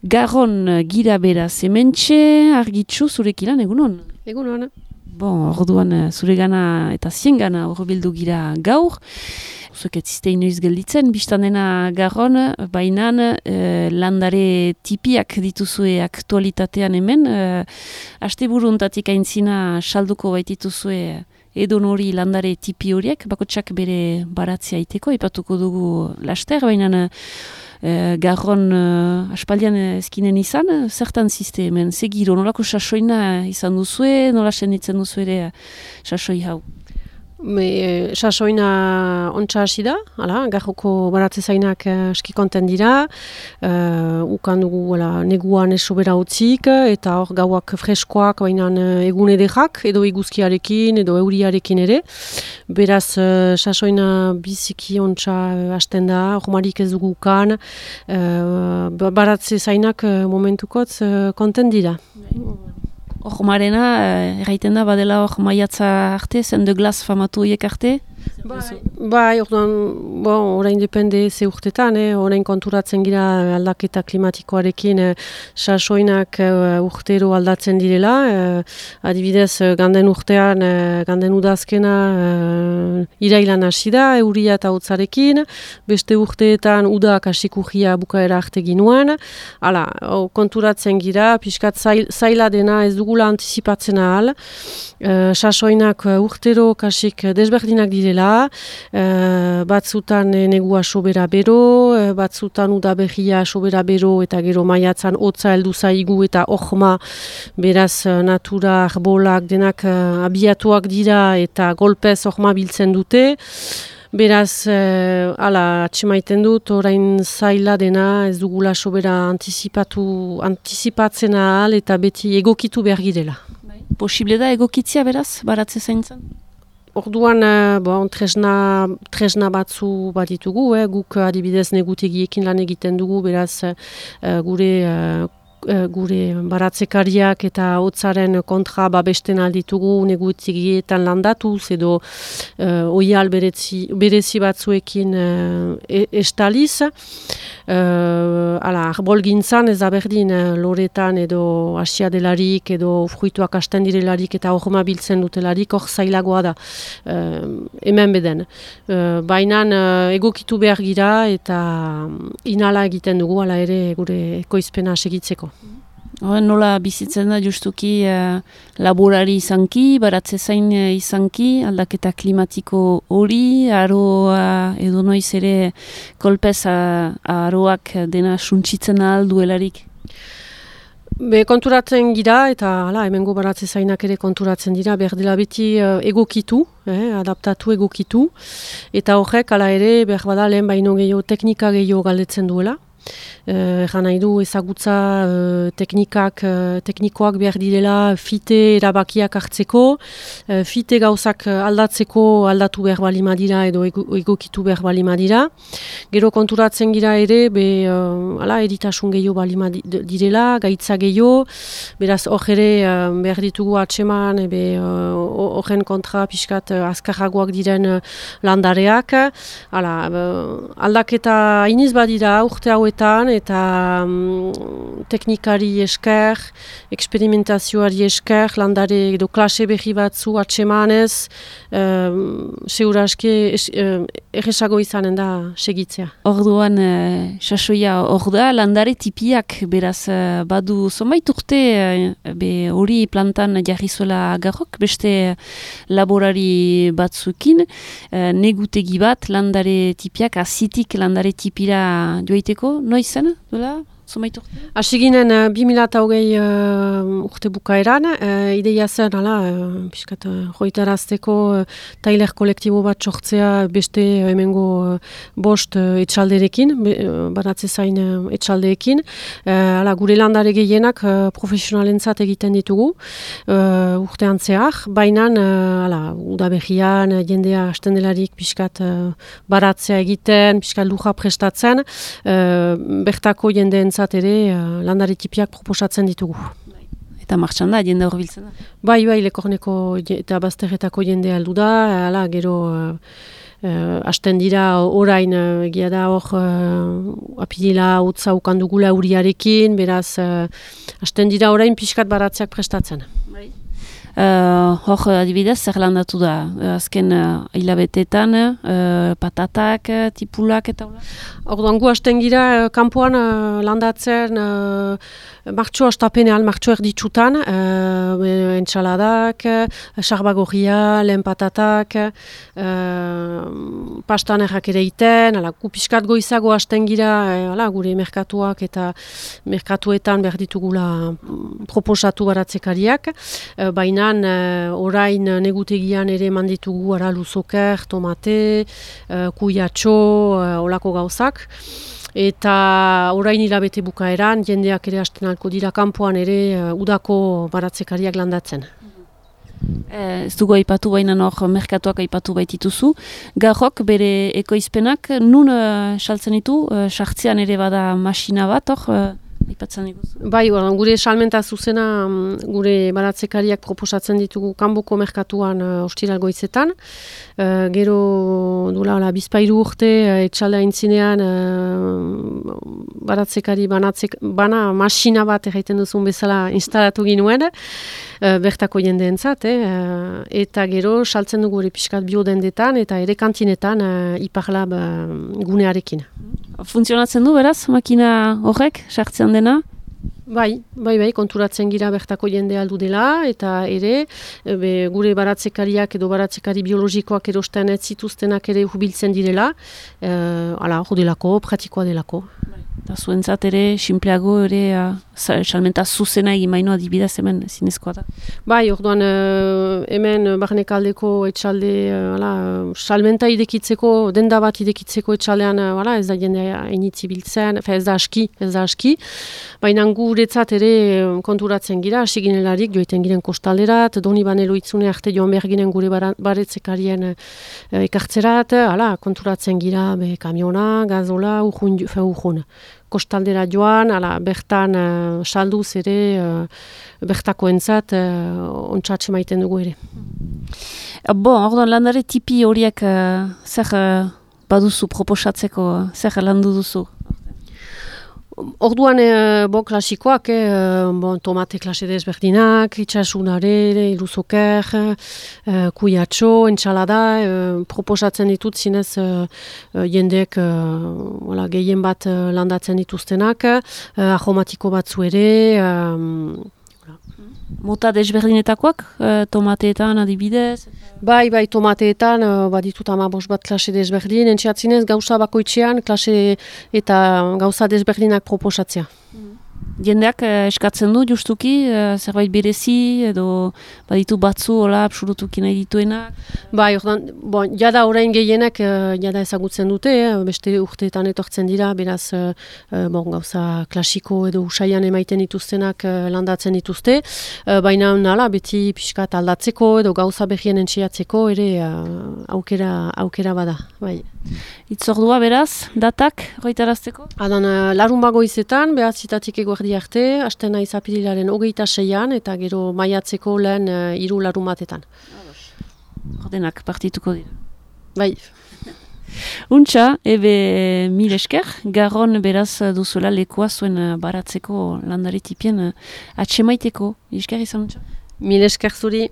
Garron gira beraz hementxe, Argitxu zurekilan egunon? Egunon. Bon, orduan zure gana eta zien gana horbildu gira gaur. Zuek etziste inoiz gelditzen, biztan dena Garron, bainan landare tipiak dituzue aktualitatean hemen. Asteburu hontatik aintzina salduko baitituzue edon hori landare tipi horiek, bakotsak bere baratzea iteko, ipatuko dugu laster, baina Garron aspaldian ezkinen izan, zertan ziste hemen, segiro, nolako sasoina izan duzue, nola senditzen duzu ere sasoi hau? Sasoina ontsa hasi da, Garroko baratze zainak eski konten dira, ukan dugu neguan esobera utzik, eta hor gauak freskoak, baina egun ederrak, edo iguzkiarekin, edo euriarekin ere. Beraz, sasoina biziki ontsa hasten da, hormarik ez dugu ukan, baratze zainak momentukotz konten dira. Hormarena, erraiten da, badela hor maiatza arte, zen de glas famatu hiek arte? Bai, orain depende ze urtetan, orain konturatzen gira aldaketa klimatikoarekin sasoinak urtero aldatzen direla, adibidez ganden urtean, ganden udazkena irailan hasi da, euria eta hotzarekin, beste urteetan udak hasikugia bukaera arte ginuen, konturatzen gira, pixkat zaila dena ez dugula antizipatzen ahal, sasoinak urtero kasik desberdinak direla, batzutan negua sobera bero, batzutan udaberria sobera bero eta gero maiatzan hotza heldu zaigu eta ohma, beraz natura, arbolak denak abiatuak dira eta golpez ohma biltzen dute. Beraz, atxemaiten dut, orain zaila dena ez dugula sobera antizipatzen ahal eta beti egokitu behar girela. Posible da egokitzia beraz, baratze zaintzen? Orduan, tresna batzu bat ditugu, guk adibidez negutegiekin lan egiten dugu, beraz gure baratzekariak eta hotzaren kontra babesten alditugu negutegietan landatuz edo oial berezi batzuekin estaliz. Arbol gintzan ez da berdin loretan edo asia delarik edo fruituak hasten direlarik eta horma biltzen dutelarik hor zailagoa da hemen beden. Baina egokitu behar gira eta inala egiten dugu hala ere gure ekoizpena segitzeko. Nola bizitzen da justuki laborari izanki, baratze zain izanki, aldaketa klimatiko hori, aroa edo noiz ere kolpez aroak dena suntsitzen ahal duelarik? Konturatzen gira eta hemengo baratze zainak ere konturatzen dira, behar dela beti egokitu, adaptatu egokitu, eta horrek hala ere behar bada lehen baino gehiago teknika gehiago galdetzen duela. Egan nahi du ezagutza teknikoak behar direla fite erabakiak hartzeko, fite gauzak aldatu behar balima dira edo egokitu behar balima dira. Gero konturatzen gira ere, eritasun gehiago balima direla, gaitza gehiago, beraz hor ere behar ditugu atseman, horren kontra pixkat azkarragoak diren landareak. Aldaketa iniz badira urte hauetan, eta teknikari esker, eksperimentazioari esker, landare edo klase berri batzu atsemanez, segura aski erresago izanen da segitzea. Orduan, sasoia hor da, landare tipiak beraz badu zonbait urte hori plantan jarri zuela Garrok, beste laborari batzukin, negutegi bat landare tipiak, azitik landare tipira joaiteko, noiz zen? Asiginen 2020 urte bukaeran, ideia zen, piskat joitarazteko tailer kolektibo bat sortzea beste hemengo bost etxalderekin, baratze zain etxaldeekin. Gure landare gehienak profesionalentzat egiten ditugu urtean zehar, baina udaberrian jendea hasten delarik piskat baratzea egiten, piskat luja prestatzen, bertako jendeen ere landare tipiak proposatzen ditugu. Eta martxan da, jende horbiltzen da? Bai, Lekorneko eta Bazterretako jende aldu da, gero hasten dira orain, egia da hor apirila utza ukandugula uriarekin, beraz hasten dira orain pixkat baratzeak prestatzen. Hor adibidez, zer landatu da? Azken hilabetetan, patatak, tipulak eta hola? Orduan gu hasten gira kanpoan landatzen martxo astapenean, martxo erditsutan, entsaladak, sarbagorria, lehen patatak, pastanerrak ere iten, gu piskat goizago hasten gira gure merkatuak eta merkatuetan behar ditugula proposatu baratzekariak, baina orain negutegian ere manditugu luzoker, tomate, kuiatxo, olako gauzak. Eta orain hilabete bukaeran, jendeak ere hasten alko dira kanpoan ere udako baratzekariak landatzen. Ez dugu aipatu baina hor merkatuak aipatu baitituzu. Garrok bere ekoizpenak nun saltzen ditu? Sartzean ere bada masina bat hor? Bai, gure salmenta zuzena gure baratzekariak proposatzen ditugu kanboko merkatuan ostiral goizetan. Gero duela bizpairu urte etxaldea intzinean baratzekari bana masina bat egiten duzun bezala instalatu ginuen bertako jendeentzat, eta gero saltzen dugu gure pixkat biodendetan eta ere kantinetan Iparlab gunearekin. Funtzionatzen du beraz, makina horrek, sartzean dena? Bai, konturatzen gira bertako jende aldu dela, eta ere, gure baratzekariak edo baratzekari biologikoak erosten ez zituztenak ere hubiltzen direla, delako, pratikoa delako. Eta zuentzat ere, simpleago ere, salmenta zuzena egin baino adibidez hemen zinezkoa da. Bai, orduan hemen barnekaldeko etxalde, salmenta idekitzeko, denda bat idekitzeko etxaldean, ez da jendea initzi biltzen, ez da aski, baina guretzat ere konturatzen gira, hasi ginelarik joiten giren kostalderat, doni banelo itzune arte joan behar ginen gure baretzekarien ekartzerat, konturatzen gira kamiona, gazola, urjun. Kostaldera joan, bertan salduz ere bertakoentzat ontsatxe maiten dugu ere. Orduan landare tipi horiek zer baduzu proposatzeko, zer landu duzu? Orduan klasikoak, tomate klase desberdinak, itxasunare, iluzoker, kuiatxo, entxalada, proposatzen ditut zinez jendeek gehien bat landatzen dituztenak, aromatiko batzu ere. Mota desberdinetakoak, tomateetan adibidez? Bai, tomateetan, baditut 15 bat klase desberdin, entxeatzinez gauza bakoitzean klase eta gauza desberdinak proposatzea. Jendeak eskatzen du justuki, zerbait berezi edo baditu batzu hola absolutuki nahi dituenak? Bai, jada orain gehienak jada ezagutzen dute, beste urteetan etortzen dira, beraz gauza klasiko edo usaian emaiten dituztenak landatzen dituzte, baina beti pixkat aldatzeko edo gauza behien entxeatzeko ere aukera bada. Bai. Itzordua beraz, datak goitarazteko? Larun bagoizetan, behar zitatik eguerdi arte, hasten naiz apirilaren 26an eta gero maiatzeko lehen 3 larun batetan. Ordenak partituko dira. Bai. Untxa, mil esker, Garron beraz duzuela lekoa zuen baratzeko landare tipien atxemaiteko. Esker izan untxa? Mil esker zuri.